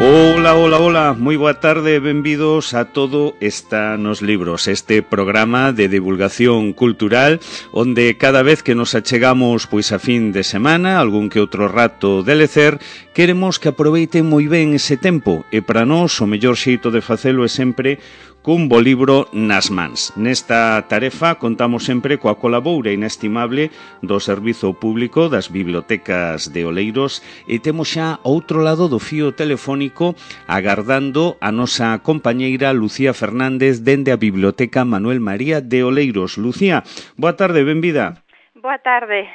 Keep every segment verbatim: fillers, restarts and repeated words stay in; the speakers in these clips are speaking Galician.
Ola, ola, ola, moi boa tarde, benvidos a Todo está nos libros, este programa de divulgación cultural onde cada vez que nos achegamos pois a fin de semana, algún que outro rato de lecer, queremos que aproveiten moi ben ese tempo e para nós o mellor xeito de facelo é sempre cun bo libro nas mans. Nesta tarefa contamos sempre coa colaboura inestimable do Servizo Público das Bibliotecas de Oleiros e temos xa outro lado do fío telefónico agardando a nosa compañeira Lucía Fernández dende a Biblioteca Manuel María de Oleiros. Lucía, boa tarde, benvida. Boa tarde.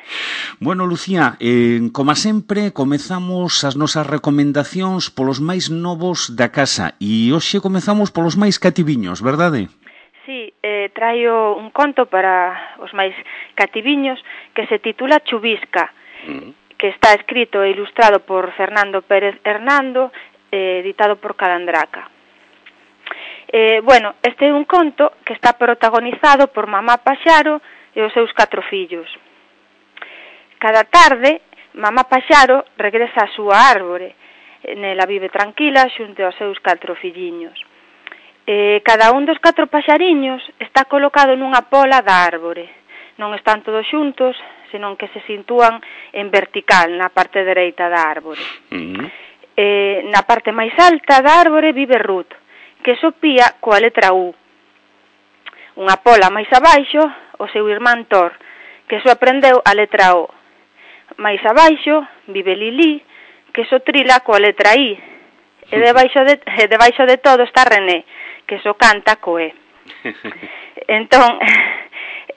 Bueno, Lucía, eh, como sempre, comezamos as nosas recomendacións polos máis novos da casa e hoxe comezamos polos máis cativiños, verdade? Sí, eh, traio un conto para os máis cativiños que se titula Chubisca, mm. que está escrito e ilustrado por Fernando Pérez Hernando, eh, editado por Calandraca. Eh, bueno, este é un conto que está protagonizado por mamá Paxaro e os seus catro fillos. Cada tarde, mamá Paxaro regresa á súa árbore, nela vive tranquila xunto aos seus catro filliños. Eh, cada un dos catro paxariños está colocado nunha pola da árbore. Non están todos xuntos, senón que se sitúan en vertical na parte dereita da árbore. Uh-huh. Eh, na parte máis alta da árbore vive Ruth, que sopía coa letra U. Unha pola máis abaixo, o seu irmán Thor, que só aprendeu a letra O. Mais abaixo vive Lili, que só trila coa letra I. E debaixo de, e debaixo de todo está René, que só canta co E. Entón,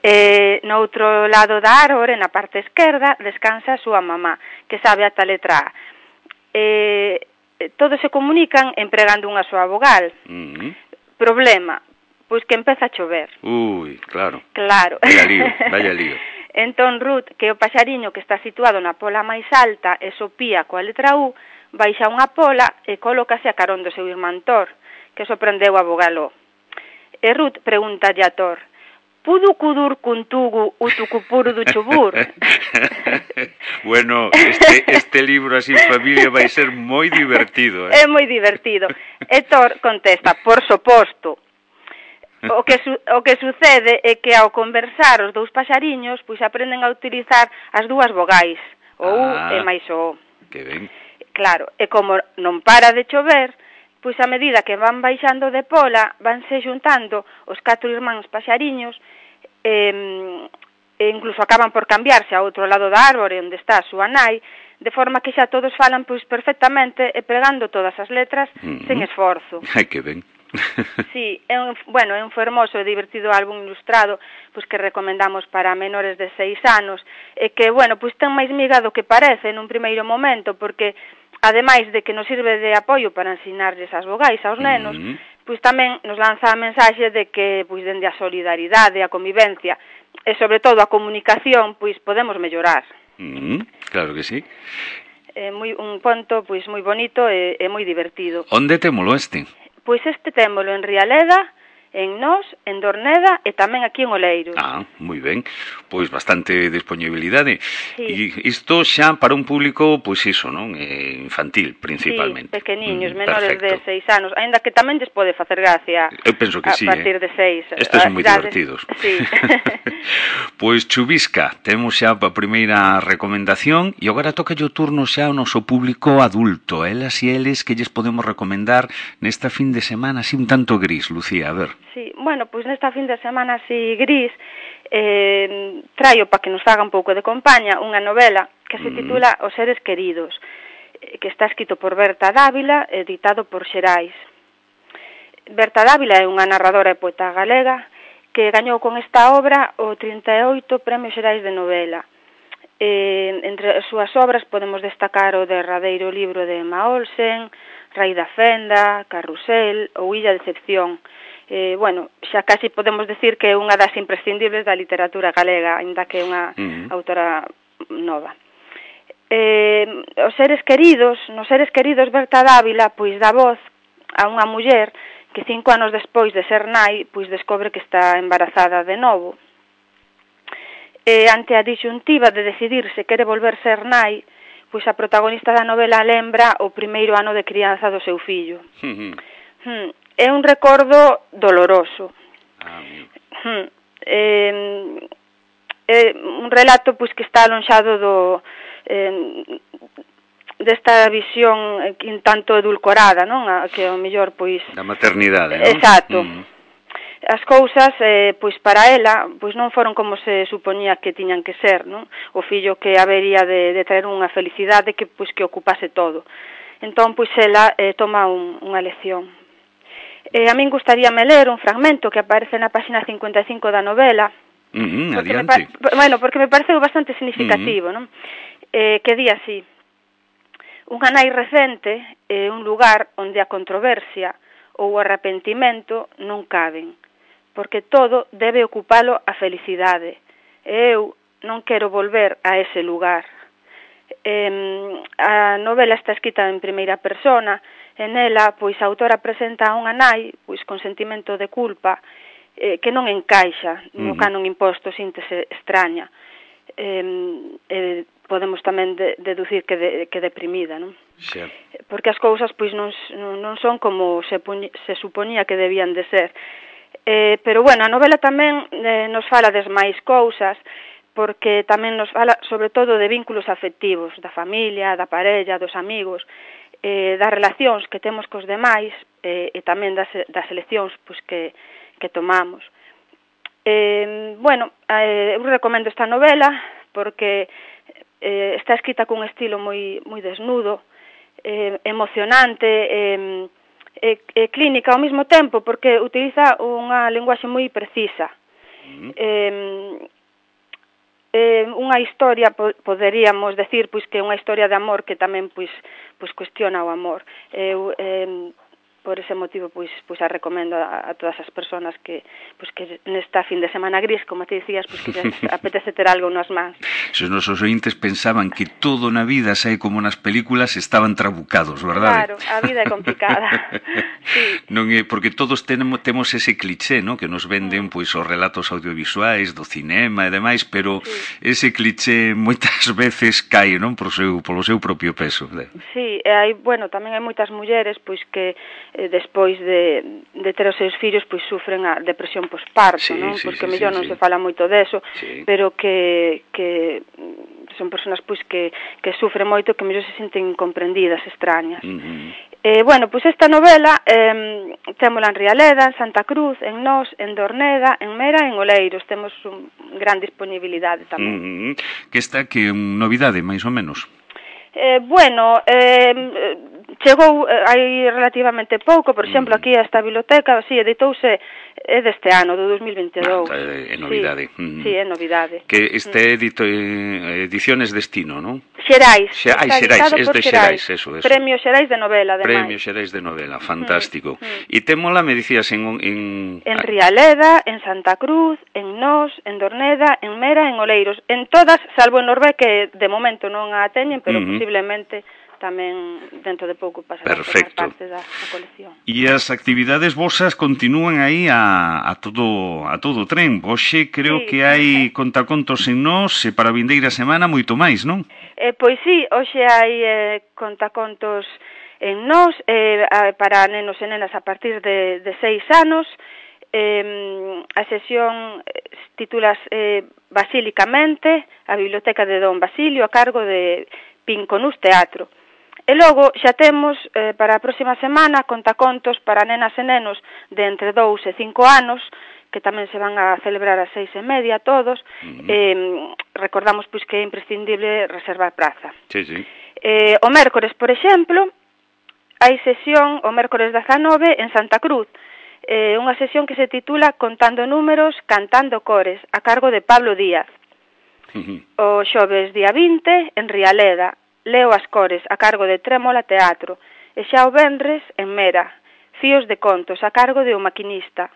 eh, no outro lado da árbore, na parte esquerda, descansa a súa mamá, que sabe ata a letra A. Eh, todos se comunican empregando unha soa vogal. Uh-huh. Problema, pois que empeza a chover. Ui, claro. Claro. Vaya lío, vaya lío. Entón Ruth, que é o paxariño que está situado na pola máis alta e sopía coa letra U, baixa unha pola e colócase a carón do seu irmán Thor, que sorprendeu a vogalo. E Ruth pregúntalle a Thor: "Pudu cudur cuntugu utucupuru do chubur?" Bueno, este, este libro así en familia vai ser moi divertido, eh? É moi divertido. E Thor contesta: "Por suposto." O que, su, o que sucede é que ao conversar os dous paxariños pois aprenden a utilizar as dúas vogais, o U ah, e máis o O. Que ben. Claro, e como non para de chover, pois a medida que van baixando de pola, vanse xuntando os catro irmáns paxariños e, e incluso acaban por cambiarse a outro lado da árbore onde está a súa nai, de forma que xa todos falan pois perfectamente e pregando todas as letras mm-hmm. sen esforzo. Ai, que ben. Sí, é un, bueno, é un fermoso e divertido álbum ilustrado pois que recomendamos para menores de seis anos e que, bueno, pois ten máis miga do que parece nun primeiro momento porque, ademais de que nos sirve de apoio para ensinarlles as vogais aos nenos, mm-hmm. pois tamén nos lanza a mensaxe de que, pois, dende a solidaridade, a convivencia e, sobre todo, a comunicación, pois, podemos mellorar. Mm-hmm. Claro que sí. É moi, un ponto, pois, moi bonito e, e moi divertido. Onde témolo este? Pois este témolo en Rialeda, en Nós, en Dorneda e tamén aquí en Oleiros. Ah, moi ben. Pois bastante disponibilidade. Sí. E isto xa para un público, pois iso, non? Eh, infantil, principalmente. Sí, pequeniños, mm, menores perfecto. de seis anos, aínda que tamén lles pode facer gracia. Eu penso que a sí, partir eh? de seis. Estes son moi divertidos. Sí. Pois Chubisca, temos xa a primeira recomendación e agora toca o turno xa ao noso público adulto, elas e eles que lles podemos recomendar nesta fin de semana así un tanto gris, Lucía, a ver. Sí, bueno, pois nesta fin de semana así gris, eh, traio para que nos faga un pouco de compaña unha novela que se titula Os seres queridos, que está escrito por Berta Dávila, editado por Xerais. Berta Dávila é unha narradora e poeta galega que gañou con esta obra o trinta e oito Premios Xerais de Novela. Eh, entre as súas obras podemos destacar o derradeiro libro de Emma Olsen, Rai da Fenda, Carrusel ou Illa de Decepción. Eh, bueno, xa casi podemos decir que é unha das imprescindibles da literatura galega, aínda que é unha uh-huh. autora nova. Eh, os seres queridos, nos seres queridos Berta Dávila, pois dá voz a unha muller que cinco anos despois de ser nai, pois descobre que está embarazada de novo. E ante a disyuntiva de decidir se quere volver ser nai, pois a protagonista da novela lembra o primeiro ano de crianza do seu fillo. Uh-huh. Hmm. É un recordo doloroso. Ah, hmm. eh, é un relato pois que está alonxado do eh, desta visión un tanto edulcorada, non? A, que ao mellor pois da maternidade, non? Exacto. Uh-huh. As cousas, eh, pois para ela, pois non foron como se supoñía que tiñan que ser, non? O fillo que habería de, de traer unha felicidade que pois que ocupase todo. Entón, pois ela eh, toma un, unha lección. Eh, a min gustaríame ler un fragmento que aparece na páxina cincuenta e cinco da novela. Uh-huh, porque adiante. Me, bueno, porque me pareceu bastante significativo, uh-huh. non? Eh, que di así: unha nai recente é un lugar onde a controversia ou o arrepentimento non caben, porque todo debe ocupalo a felicidade. E eu non quero volver a ese lugar. Eh, a novela está escrita en primeira persona, e nela, pois, a autora presenta a unha nai, pois, con sentimento de culpa, eh, que non encaixa no Uh-huh. canon imposto, síntese extraña. Eh, eh, podemos tamén de, deducir que, de, que deprimida, non? Sí. Porque as cousas, pois, non, non son como se, puñ, se supoñía que debían de ser. Eh, pero, bueno, a novela tamén eh, nos fala des máis cousas, porque tamén nos fala, sobre todo, de vínculos afectivos, da familia, da parella, dos amigos, eh, das relacións que temos cos demais, eh, e tamén das, das eleccións pois, que, que tomamos. Eh, bueno, eh, eu recomendo esta novela porque eh, está escrita cun estilo moi, moi desnudo, eh, emocionante, eh, E, e clínica ao mesmo tempo, porque utiliza unha linguaxe moi precisa. Uh-huh. Eh, eh, unha historia, po, poderíamos decir, pois que é unha historia de amor que tamén pois, pois cuestiona o amor. Eu, eh, por ese motivo, pois, pois a recomendo a, a todas as persoas que, pois que nesta fin de semana gris, como te dicías, pois que les apetece ter algo nas mans. Se os nosos ointes pensaban que todo na vida sai como nas películas, estaban trabucados, verdade? Claro, a vida é complicada. Sí. Non é porque todos tenemos temos ese cliché, ¿no? Que nos venden pois os relatos audiovisuais do cinema e demais, pero sí. Ese cliché moitas veces cae, non, por seu polo seu propio peso. Sí, e hai, bueno, tamén hai moitas mulleres pois que eh, despois de, de ter os seus fillos pois sufren a depresión posparto, sí, non? Sí, porque sí, mellor sí, non sí. se fala moito deso, sí. Pero que que son persoas pois que que sufren moito, que mellor se senten incomprendidas, extrañas. Uh-huh. Eh, bueno, pois esta novela eh, témola en Rialeda, en Santa Cruz, en Nós, en Dorneda, en Mera e en Oleiros. Temos un gran disponibilidade tamén. Uh-huh. Que está que novidade, máis ou menos? Eh, bueno, eh, chegou eh, hai relativamente pouco, por exemplo, aquí a esta biblioteca, si, sí, editouse é deste ano, do dos mil vinte e dous. Ah, é novidade. Sí, mm. sí, é novidade. Que este edito, eh, Ediciones Destino, non? Xerais. Xe, ai, Xerais, es de Xerais, eso, eso. Premio Xerais de novela, ademais. Premio Xerais de novela, fantástico. Mm, mm. E témola, me dicías, en... En, en Rialeda, en Santa Cruz, en Nós, en Dorneda, en Mera, en Oleiros. En todas, salvo en Norvé, que de momento non a teñen, pero uh-huh. posiblemente tamén dentro de pouco pasará a formar parte da, da colección. E as actividades vosas continúan aí a, a todo a todo tren. Hoxe creo sí. que hai contacontos en Nós e para a vindeira semana moito máis, non? Eh, pois sí, hoxe hai eh, contacontos en Nós eh, para nenos e nenas a partir de, de seis anos. Eh, a sesión titulas eh, Basílicamente, a Biblioteca de Don Basilio, a cargo de Pinconús Teatro. E logo xa temos eh, para a próxima semana contacontos para nenas e nenos de entre dous e cinco anos, que tamén se van a celebrar a seis e media todos. Uh-huh. eh, recordamos pois que é imprescindible reservar praza. Sí, sí. Eh, o mércores, por exemplo, hai sesión o mércores dezanove en Santa Cruz, eh, unha sesión que se titula Contando números, cantando cores, a cargo de Pablo Díaz. Uh-huh. O xoves día vinte en Rialeda, Leo as cores, a cargo de Trémola Teatro, e xa o venres en Mera, Fíos de contos, a cargo de O Maquinista.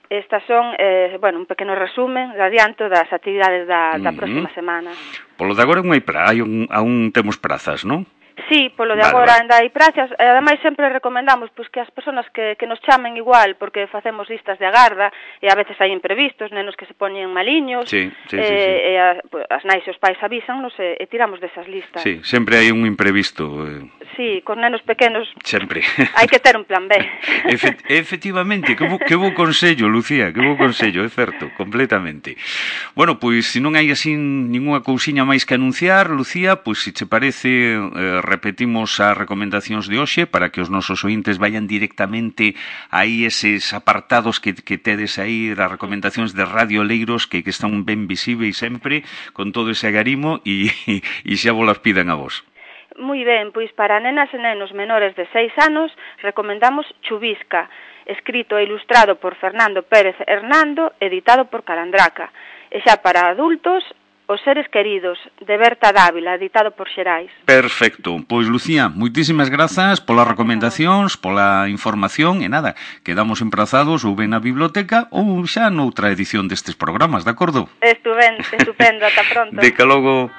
Estas son, eh, bueno, un pequeno resumen de adianto das actividades da, da uh-huh. próxima semana. Polo de agora non hai pra, hai un, aún temos prazas, non? Sí, polo de vale, agora vale. ainda hai prazas, e ademais sempre recomendamos pois que as persoas que, que nos chamen igual, porque facemos listas de agarda, e a veces hai imprevistos, nenos que se poñen maliños, sí, sí, e, sí, sí. e a, pues, as nais e os pais avísannos e, e tiramos desas listas. Sí, sempre hai un imprevisto. Eh. Sí, con nenos pequenos sempre. hai que ter un plan B. Efect efectivamente, que bo, que bo consello, Lucía, que bo consello, é certo, completamente. Bueno, pois, se non hai así ninguna cousiña máis que anunciar, Lucía, pois, se che parece, eh, repetimos as recomendacións de hoxe para que os nosos ointes vayan directamente aí eses apartados que, que tedes aí das recomendacións de Radio Oleiros que, que están ben visíveis sempre, con todo ese agarimo e, e xa vos las pidan a vos. Moi ben, pois para nenas e nenos menores de seis anos recomendamos Chubisca, escrito e ilustrado por Fernando Pérez Hernando, editado por Calandraca. E xa para adultos, Os seres queridos, de Berta Dávila, editado por Xerais. Perfecto. Pois, Lucía, moitísimas grazas polas recomendacións, pola información, e nada, quedamos emprazados ou ben na biblioteca ou xa noutra edición destes programas, de acordo? Estupendo, estupendo, ata pronto. Deca logo.